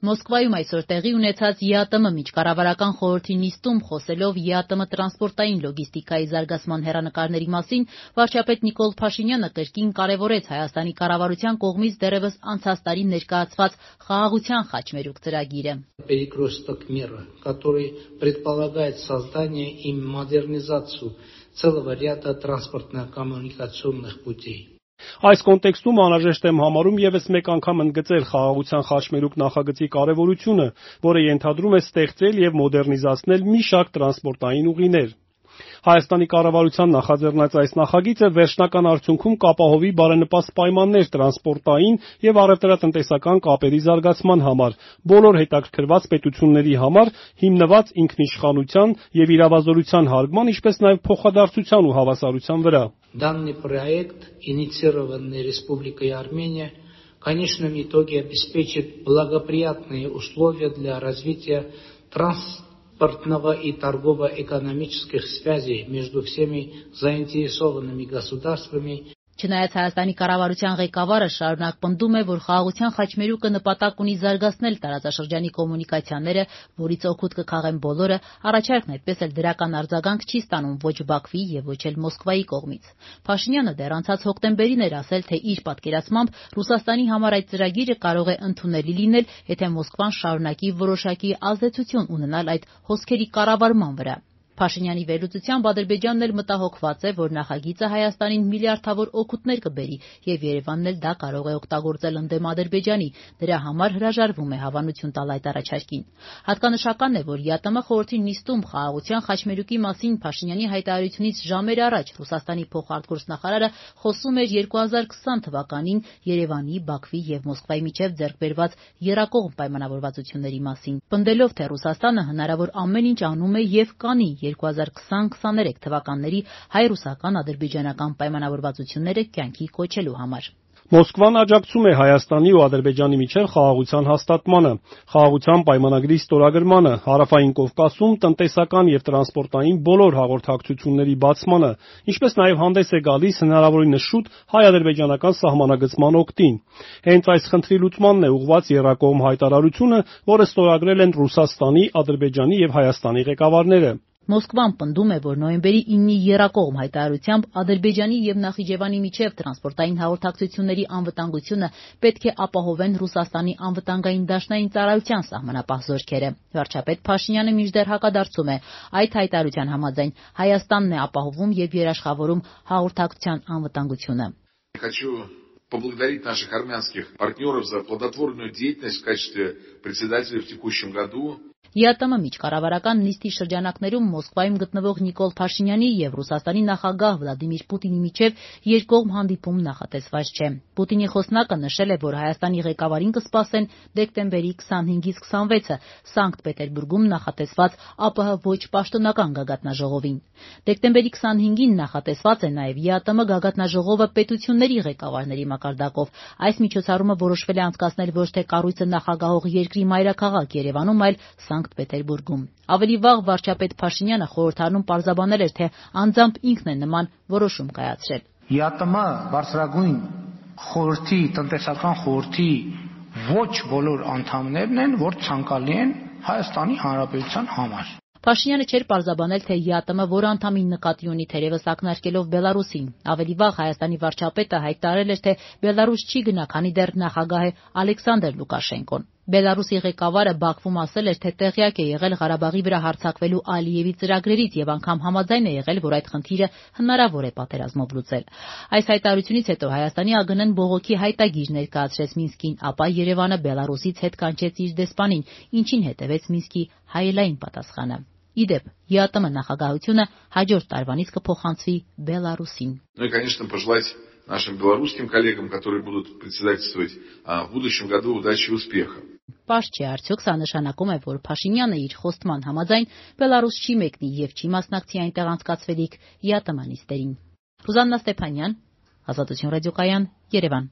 Մոսկվայում այսօր տեղի ունեցած ԵԱՏՄ միջկառավարական խորհրդի նիստում խոսելով ԵԱՏՄ տրանսպորտային լոգիստիկայի զարգացման հեռանկարների մասին, վարչապետ Նիկոլ Փաշինյանը կրկին կարևորեց Հայաստանի կառավարության կողմից դեռևս անցած տարի ներկայացված խաղաղության խաչմերուկ ծրագիրը։ Перекресток мира, который предполагает создание и модернизацию целого ряда транспортно-коммуникационных путей. Այս կոնտեքստում անհրաժեշտ եմ համարում ևս մեկ անգամ ընդգծել խաղաղության խաչմերուկ նախագծի կարևորությունը, որը ենթադրում է ստեղծել եւ մոդեռնիզացնել մի շարք տրանսպորտային ուղիներ։ Հայաստանի կառավարության նախաձեռնած այս նախագիծը վերջնական արդյունքում կապահովի բարենպաստ պայմաններ տրանսպորտային եւ առևտրատնտեսական կապերի զարգացման համար, բոլոր հետաքրքրված պետությունների համար, հիմնված ինքնիշխանության եւ իրավազորության հարգման, ինչպես նաեւ փոխադարձության ու հավասարության вրա. Данный проект, инициированный Республикой Армения, в конечном итоге обеспечит благоприятные условия для развития транспортного и торгово-экономических связей между всеми заинтересованными государствами. Չնայած Հայաստանի կառավարության ղեկավարը շարունակ պնդում է, որ խաղաղության խաչմերուկը նպատակ ունի զարգացնել տարածաշրջանի կոմունիկացիաները, որից օգուտ կքաղեն բոլորը, առաջարկն այդպես էլ դրական արձագանք չի ստանում ոչ Բաքվի եւ ոչ էլ Մոսկվայի կողմից։ Փաշինյանը դեռ անցած հոկտեմբերին էր ասել, թե իր պատկերացմամբ Ռուսաստանի համար այդ ծրագիրը կարող է ընդունելի լինել, եթե Մոսկվան շարունակի որոշակի ազդեցություն ունենալ այդ հոսքերի կառավարման վրա։ Փաշինյանի վերլուծությամբ Ադրբեջանն էլ մտահոգված է, որ նախագիծը Հայաստանին միլիարդավոր օգուտներ կբերի եւ Երևանն էլ դա կարող է օգտագործել ընդդեմ Ադրբեջանի, դրա համար հրաժարվում է հավանություն տալ այդ առաջարկին։ Հատկանշական է, որ ԵԱՏՄ խորհրդի նիստում խաղաղության խաչմերուկի մասին Փաշինյանի հայտարարությունից ժամեր առաջ Ռուսաստանի փոխարտգործնախարարը խոսում էր 2020 թվականին Երևանի, Բաքվի եւ Մոսկվայի միջև ձեռք բերված եռակողմ պայմանավորվածությունների մասին, պնդելով, թե Ռուսաստանը հնարավոր ամեն ինչ անում է եւ կանի 2020-23 թվականների հայ-ռուսական-ադրբեջանական պայմանավորվածությունները կյանքի կոչելու համար։ Մոսկվան աջակցում է Հայաստանի ու Ադրբեջանի միջև խաղաղության հաստատմանը, խաղաղության պայմանագրի ստորագրմանը, Հարավային Կովկասում տնտեսական եւ տրանսպորտային բոլոր հաղորդակցությունների բացմանը, ինչպես նաեւ հանդես է գալիս հնարավորինս շուտ հայ-ադրբեջանական սահմանագծման օգտին։ Հենց այս խնդրի լուծմանն է ուղղված եռակողմ հայտարարությունը, որը ստորագրել են Ռուսաստանի, Ադրբեջանի եւ Հայաստանի ղեկավարները։ Մոսկվան պնդում է, որ նոյեմբերի 9-ի եռակողմ հայտարարությամբ Ադրբեջանի եւ Նախիջևանի միջև տրանսպորտային հաղորդակցությունների անվտանգությունը պետք է ապահովեն Ռուսաստանի անվտանգային դաշնային ծառայության սահմանապահ զորքերը։ Վարչապետ Փաշինյանը մինչդեռ հակադարձում է, այդ հայտարարության համաձայն Հայաստանն է ապահովում եւ երաշխավորում հաղորդակցության անվտանգությունը։ Поблагодарить наших армянских партнеров за плодотворную деятельность в качестве председателя в текущем году. ԵԱՏՄ միջկառավարական նիստի շրջանակներում Մոսկվայում գտնվող Նիկոլ Փաշինյանի եւ Ռուսաստանի նախագահ Վլադիմիր Պուտինի միջև երկկողմ հանդիպում նախատեսված չէ։ Պուտինի խոսնակը նշել է, որ Հայաստանի ղեկավարին կսպասեն դեկտեմբերի 25-ից 26-ը Սանկտ Պետերբուրգում նախատեսված ԱՊՀ ոչ պաշտոնական գագաթնաժողովին։ Դեկտեմբերի 25-ին նախատեսված է նաեւ ԵԱՏՄ գագաթնաժողովը պետությունների ղեկավարների մակարդակով։ Այս միջոցառումը որոշվել է անցկացնել ոչ թե կառույցը նախագահող երկրի մայրաքաղաք Երևանում, այլ Սանկտ Պետերբուրգում։ Ավելի վաղ վարչապետ Փաշինյանը խորհրդարանում պարզաբանել էր, թե անձամբ ինքն է նման որոշում կայացրել։ ԵԱՏՄ բարձրագույն խորհրդի, տնտեսական խորհրդի ոչ բոլոր անդամներն են, որ ցանկալի են Հայաստանի Հանրապետության համար։ Փաշինյանը չէր պարզաբանել, թե ԵԱՏՄ որ անդամին նկատի ունի, թերևս ակնարկելով Բելարուսին։ Ավելի վաղ Հայաստանի վարչապետը հայտարարել էր, թե Բելարուս չի գնա, քանի դեռ նախագահ է Ալեքսանդր Լուկաշենկոն։ Բելարուսի ղեկավարը Բաքվում ասել էր, թե տեղյակ է եղել Ղարաբաղի վրա հարձակվելու Ալիևի ծրագրերից եւ անգամ համաձայն է եղել, որ այդ խնդիրը հնարավոր է պատերազմով լուծել։ Այս հայտարարությունից հետո Հայաստանի ԱԳՆ-ն բողոքի հայտագիր ներկայացրեց Մինսկին, ապա Երևանը Բելարուսից հետ կանչեց իր դեսպանին, ինչին հետևեց Մինսկի հայելային պատասխանը։ Իդեպ, ԵԱՏՄ նախագահությունը հաջորդ տարվանից կփոխանցվի Բելարուսին։ Ну и, конечно, пожелать нашим белорусским коллегам, которые будут председательствовать, в будущем году удачи и успеха. Պարզ չէ, արդյոք սա նշանակում է, որ Փաշինյանը իր խոստման համաձայն Բելարուս չի մեկնի եւ չի մասնակցի այնտեղ անցկացվելիք ԵԱՏՄ նիստերին։ Ռուզաննա Ստեփանյան, Ազատություն ռադիոկայան, Երևան։